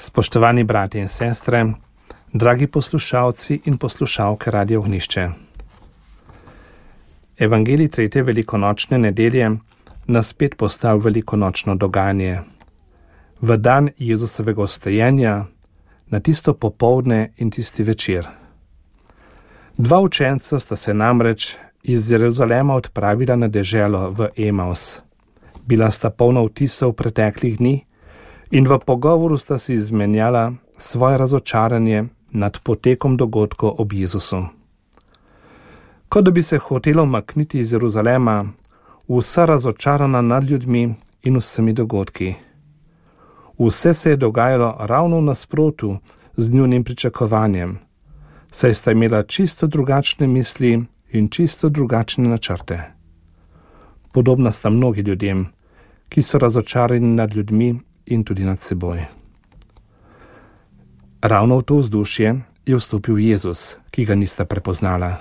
Spoštovani brati in sestre, dragi poslušalci in poslušalke Radia Ognjišče. Evangelij tretje velikonočne nedelje nas spet postavi v velikonočno dogajanje. V dan Jezusovega vstajenja, na tisto popoldne in tisti večer. Dva učenca sta se namreč iz Jeruzalema odpravila na deželo v Emaus. Bila sta polna vtisov preteklih dni in v pogovoru sta si izmenjala svoje razočaranje nad potekom dogodkov ob Jezusu. Kot da bi se hotela umakniti iz Jeruzalema, vsa razočarana nad ljudmi in vsemi dogodki. Vse se je dogajalo ravno v nasprotu z njunim pričakovanjem, saj sta imela čisto drugačne misli in čisto drugačne načrte. Podobna sta mnogi ljudem, ki so razočarani nad ljudmi in tudi nad seboj. Ravno v to vzdušje je vstopil Jezus, ki ga nista prepoznala.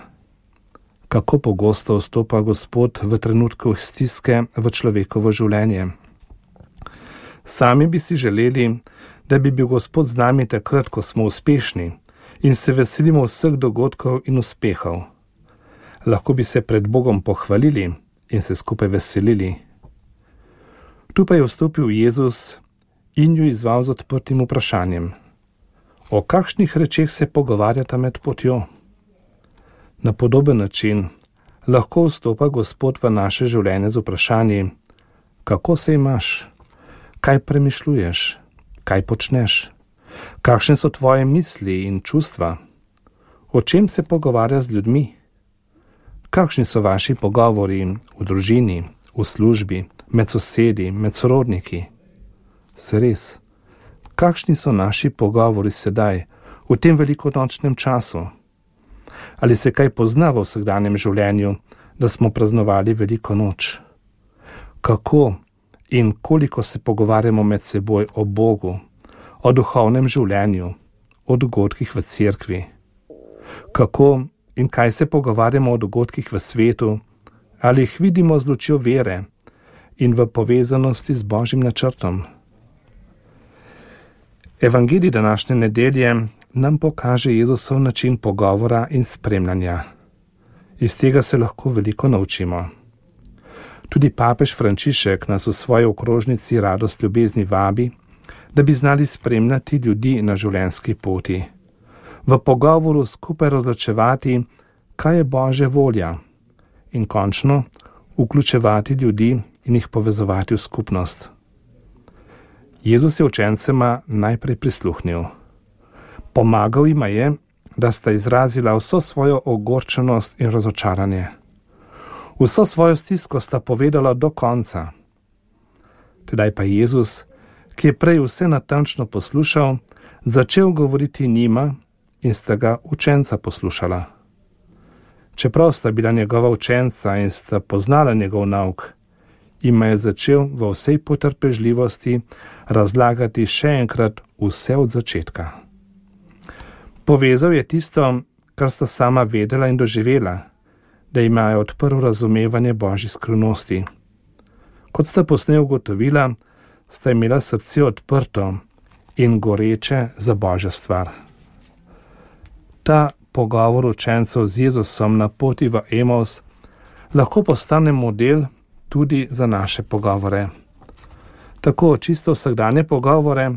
Kako pogosto vstopa Gospod v trenutku stiske v človekovo življenje. Sami bi si želeli, da bi bil Gospod z nami takrat, ko smo uspešni in se veselimo vseh dogodkov in uspehov. Lahko bi se pred Bogom pohvalili in se skupaj veselili. Tu pa je vstopil Jezus in ju izzval z odprtim vprašanjem. O kakšnih rečeh se pogovarjata med potjo? Na podoben način lahko vstopa Gospod v naše življenje z vprašanji, kako se imaš, kaj premišljuješ, kaj počneš, kakšne so tvoje misli in čustva, o čem se pogovarja z ljudmi, kakšni so vaši pogovori v družini, v službi, med sosedi, med sorodniki. Se res, kakšni so naši pogovori sedaj, v tem velikonočnem času? Ali se kaj pozna v vsakdanjem življenju, da smo praznovali veliko noč? Kako in koliko se pogovarjamo med seboj o Bogu, o duhovnem življenju, o dogodkih v cerkvi? Kako in kaj se pogovarjamo o dogodkih v svetu, ali jih vidimo z lučjo vere in v povezanosti z Božjim načrtom? Evangelij današnje nedelje nam pokaže Jezusov način pogovora in spremljanja. Iz tega se lahko veliko naučimo. Tudi papež Frančišek nas v svoji okrožnici Radost ljubezni vabi, da bi znali spremljati ljudi na življenjski poti. V pogovoru skupaj razločevati, kaj je Božja volja in končno vključevati ljudi in jih povezovati v skupnost. Jezus je učencema najprej prisluhnil. Pomagal jima je, da sta izrazila vso svojo ogorčenost in razočaranje. Vso svojo stisko sta povedala do konca. Tedaj pa Jezus, ki je prej vse natančno poslušal, začel govoriti njima in sta ga učenca poslušala. Čeprav sta bila njegova učenca in sta poznala njegov nauk, jima je začel v vsej potrpežljivosti razlagati še enkrat vse od začetka. Povezal je tisto, kar sta sama vedela in doživela, da imajo odprl razumevanje Božjih skrivnosti. Kot sta posneje ugotovila, sta imela srce odprto in goreče za Božjo stvar. Ta pogovor učencev z Jezusom na poti v Emaus lahko postane model tudi za naše pogovore. Tako čisto vsakdanje pogovore,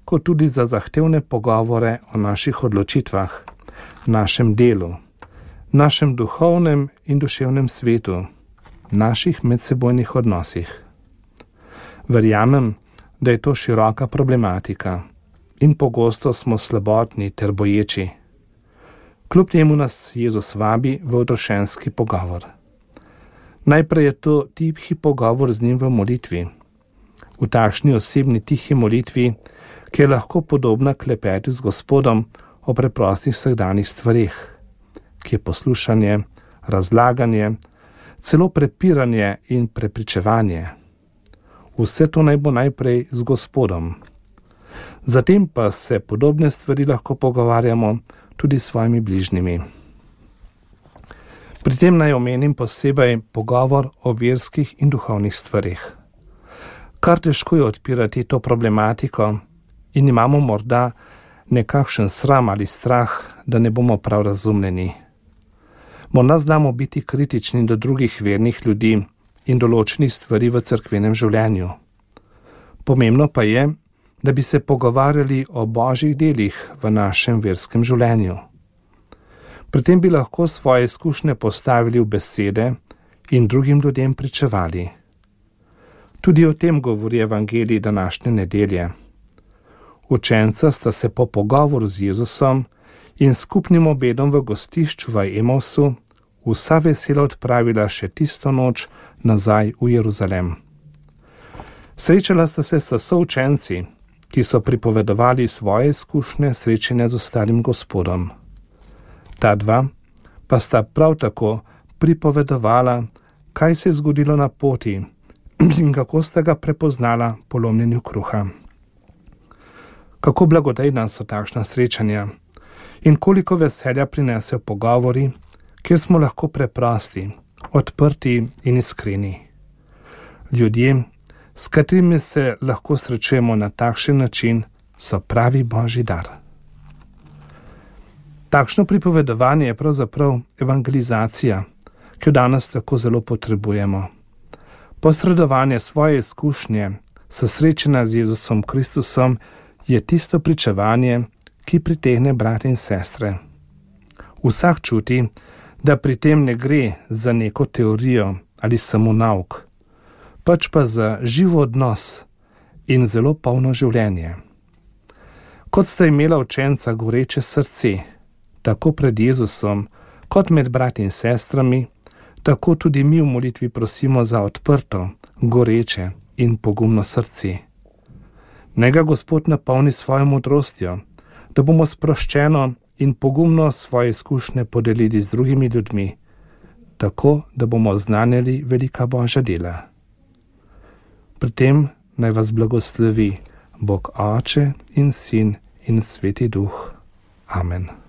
kot tudi za zahtevne pogovore o naših odločitvah, našem delu, našem duhovnem in duševnem svetu, naših medsebojnih odnosih. Verjamem, da je to široka problematika in pogosto smo slabotni ter boječi. Kljub temu nas Jezus vabi v odrošenski pogovor. Najprej je to tihi pogovor z njim v molitvi. V takšni osebni tihi molitvi, ki je lahko podobna klepetu z Gospodom o preprostih vsakdanjih stvareh, ki je poslušanje, razlaganje, celo prepiranje in prepričevanje. Vse to naj bo najprej z Gospodom. Zatem pa se podobne stvari lahko pogovarjamo tudi s svojimi bližnjimi. Pri tem naj omenim posebej pogovor o verskih in duhovnih stvareh. Kar težko je odpirati to problematiko in imamo morda nekakšen sram ali strah, da ne bomo prav razumljeni. Morda znamo biti kritični do drugih vernih ljudi in določenih stvari v cerkvenem življenju. Pomembno pa je, da bi se pogovarjali o božjih delih v našem verskem življenju. Pri tem bi lahko svoje izkušnje postavili v besede in drugim ljudem pričevali. Tudi o tem govori evangelij današnje nedelje. Učenca sta se po pogovoru z Jezusom in skupnim obedom v gostišču v Emausu vsa vesela odpravila še tisto noč nazaj v Jeruzalem. Srečala sta se s součenci, ki so pripovedovali svoje izkušnje srečanja z ostalim Gospodom. Ta dva pa sta prav tako pripovedovala, kaj se je zgodilo na poti in kako sta ga prepoznala po lomljenju kruha. Kako blagodejna so takšna srečanja in koliko veselja prinesejo pogovori, kjer smo lahko preprosti, odprti in iskreni. Ljudje, s katerimi se lahko srečujemo na takšen način, so pravi božji dar. Takšno pripovedovanje je pravzaprav evangelizacija, ki jo danes tako zelo potrebujemo. Posredovanje svoje izkušnje s srečanja z Jezusom Kristusom je tisto pričevanje, ki pritegne brate in sestre. Vsak čuti, da pri tem ne gre za neko teorijo ali samo nauk, pač pa za živ odnos in zelo polno življenje. Kot sta imela učenca goreče srce, tako pred Jezusom, kot med brati in sestrami, tako tudi mi v molitvi prosimo za odprto, goreče in pogumno srce. Naj ga Gospod napolni svojo modrostjo, da bomo sproščeno in pogumno svoje izkušnje podelili z drugimi ljudmi, tako da bomo znanjali velika božja dela. Pri tem naj vas blagoslovi Bog Oče in Sin in Sveti Duh. Amen.